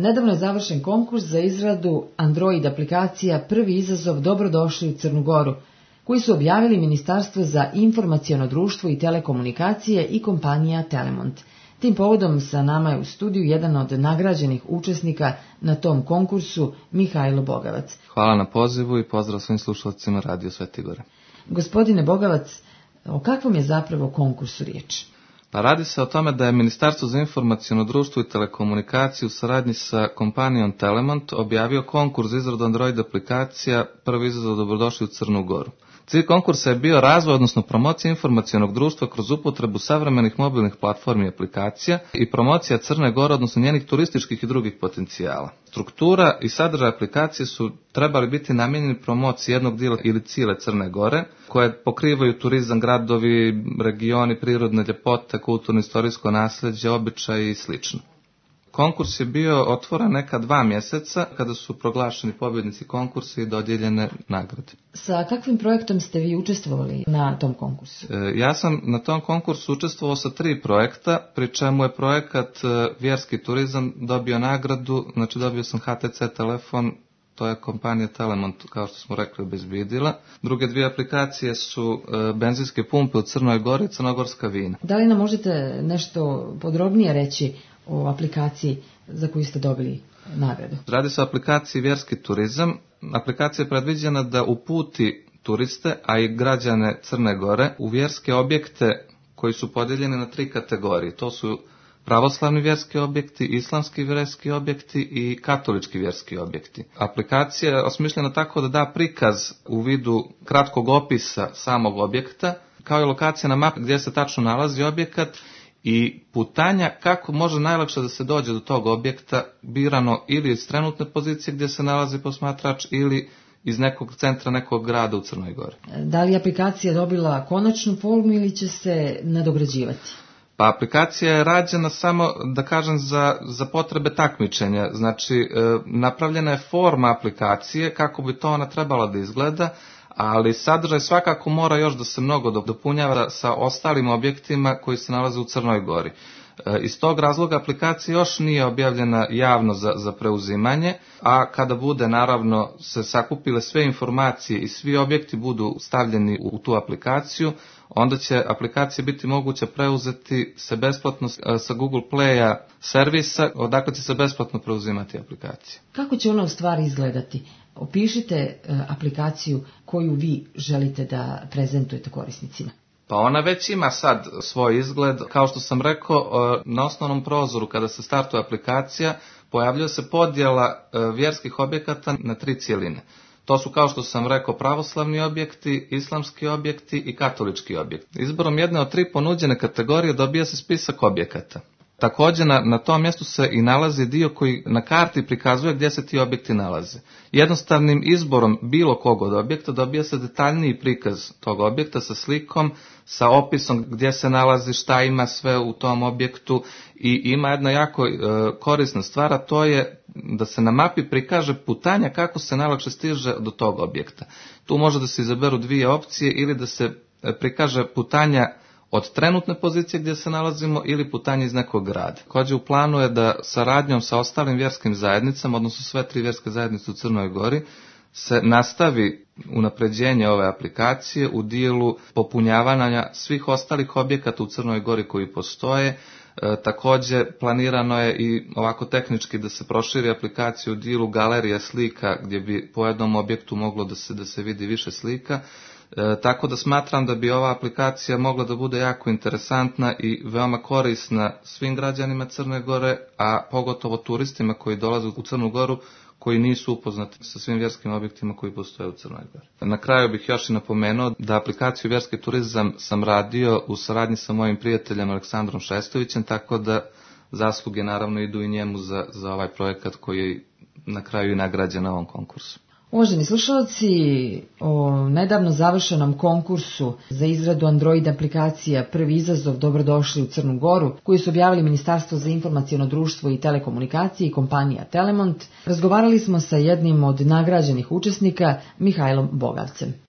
Nedavno je završen konkurs za izradu Android aplikacija Prvi izazov Dobrodošli u Crnu Goru, koji su objavili Ministarstvo za informaciono društvo i telekomunikacije i kompanija Telemont. Tim povodom sa nama je u studiju jedan od nagrađenih učesnika na tom konkursu, Mihajlo Bogavac. Hvala na pozivu i pozdrav svim slušalcima Radio Sveti Gore. Gospodine Bogavac, o kakvom je zapravo konkursu riječ? Pa radi se o tome da je Ministarstvo za informaciono društvo i telekomunikaciju u saradnji sa kompanijom Telemont objavio konkurs za izradu Android aplikacija Prvi izazov Dobrodošli u Crnu Goru. Cilj konkursa je bio razvoj, odnosno promocija informacionog društva kroz upotrebu savremenih mobilnih platformi i aplikacija i promocija Crne Gore, odnosno njenih turističkih i drugih potencijala. Struktura i sadržaj aplikacije su trebali biti namijenjeni promociji jednog dijela ili cijele Crne Gore, koje pokrivaju turizam, gradovi, regioni, prirodne ljepote, kulturno-istorijsko nasljeđe, običaje i sl. Konkurs je bio otvoren neka 2 mjeseca kada su proglašeni pobjednici konkursa i dodijeljene nagrade. Sa kakvim projektom ste vi učestvovali na tom konkursu? Ja sam na tom konkursu učestvovao sa 3 projekta, pri čemu je projekat Vjerski turizam dobio nagradu, znači dobio sam HTC telefon, to je kompanija Telemont, kao što smo rekli, obezbijedila. Druge 2 aplikacije su benzinske pumpe u Crnoj Gori i crnogorska vina. Da li nam možete nešto podrobnije reći o aplikaciji za koju ste dobili nagradu? Radi se o aplikaciji Vjerski turizam. Aplikacija je predviđena da uputi turiste, a i građane Crne Gore u vjerske objekte koji su podijeljeni na 3 kategorije. To su pravoslavni vjerski objekti, islamski vjerski objekti i katolički vjerski objekti. Aplikacija je osmišljena tako da da prikaz u vidu kratkog opisa samog objekta, kao i lokacija na mapi gdje se tačno nalazi objekat i putanja kako može najlakše da se dođe do tog objekta, birano ili iz trenutne pozicije gdje se nalazi posmatrač ili iz nekog centra nekog grada u Crnoj Gori. Da li je aplikacija dobila konačnu formu ili će se nadograđivati? Pa aplikacija je rađena samo, da kažem, za potrebe takmičenja. Znači, napravljena je forma aplikacije kako bi to ona trebala da izgleda, ali sadržaj svakako mora još da se mnogo dopunjava sa ostalim objektima koji se nalaze u Crnoj Gori. Iz tog razloga aplikacija još nije objavljena javno za preuzimanje, a kada bude naravno se sakupile sve informacije i svi objekti budu stavljeni u tu aplikaciju, onda će aplikacija biti moguće preuzeti se besplatno sa Google Playa servisa, odakle će se besplatno preuzimati aplikacija. Kako će ona u stvari izgledati? Opišite aplikaciju koju vi želite da prezentujete korisnicima. Pa ona već ima sad svoj izgled. Kao što sam rekao, na osnovnom prozoru kada se startuje aplikacija pojavljuje se podjela vjerskih objekata na 3 cjeline. To su, kao što sam rekao, pravoslavni objekti, islamski objekti i katolički objekti. Izborom jedne od 3 ponuđene kategorije dobija se spisak objekata. Također na tom mjestu se i nalazi dio koji na karti prikazuje gdje se ti objekti nalaze. Jednostavnim izborom bilo kog od objekta dobija se detaljniji prikaz tog objekta sa slikom, sa opisom gdje se nalazi, šta ima sve u tom objektu i ima jedna jako korisna stvar, a to je da se na mapi prikaže putanja kako se najlakše stiže do tog objekta. Tu može da se izaberu 2 opcije ili da se prikaže putanja od trenutne pozicije gdje se nalazimo ili putanje iz nekog grada. Također u planu je da saradnjom sa ostalim vjerskim zajednicama, odnosno sve 3 vjerske zajednice u Crnoj Gori, se nastavi unapređenje ove aplikacije u dijelu popunjavanja svih ostalih objekata u Crnoj Gori koji postoje. Također planirano je i ovako tehnički da se proširi aplikaciju u dijelu galerija slika gdje bi po jednom objektu moglo da se vidi više slika. Tako da smatram da bi ova aplikacija mogla da bude jako interesantna i veoma korisna svim građanima Crne Gore, a pogotovo turistima koji dolaze u Crnu Goru koji nisu upoznati sa svim vjerskim objektima koji postoje u Crnoj Gori. Na kraju bih još i napomenuo da aplikaciju Vjerski turizam sam radio u saradnji sa mojim prijateljem Aleksandrom Šestovićem, tako da zasluge naravno idu i njemu za ovaj projekat koji je na kraju i nagrađen na ovom konkursu. Uvaženi slušalci, o nedavno završenom konkursu za izradu Android aplikacija Prvi izazov Dobrodošli u Crnu Goru, koji su objavili Ministarstvo za informaciono društvo i telekomunikacije i kompanija Telemont, razgovarali smo sa jednim od nagrađenih učesnika, Mihajlom Bogavcem.